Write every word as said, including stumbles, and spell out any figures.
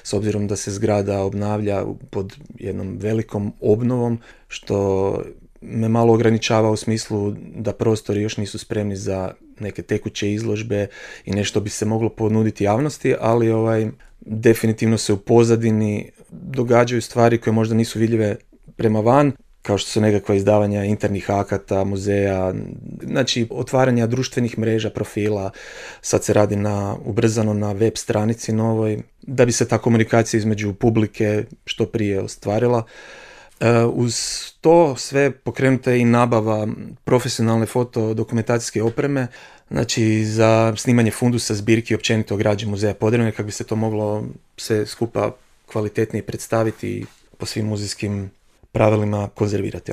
s obzirom da se zgrada obnavlja pod jednom velikom obnovom, što me malo ograničava u smislu da prostori još nisu spremni za neke tekuće izložbe i nešto bi se moglo ponuditi javnosti, ali ovaj, definitivno se u pozadini događaju stvari koje možda nisu vidljive prema van, kao što su nekakva izdavanja internih akata, muzeja, znači otvaranja društvenih mreža, profila. Sad se radi na, ubrzano na web stranici novoj, da bi se ta komunikacija između publike što prije ostvarila. Uz to sve pokrenuta je i nabava profesionalne fotodokumentacijske opreme, znači za snimanje fundusa, zbirki i općenito građe muzeja Podravine, kako bi se to moglo sve skupa kvalitetnije predstaviti i po svim muzejskim pravilima konzervirati.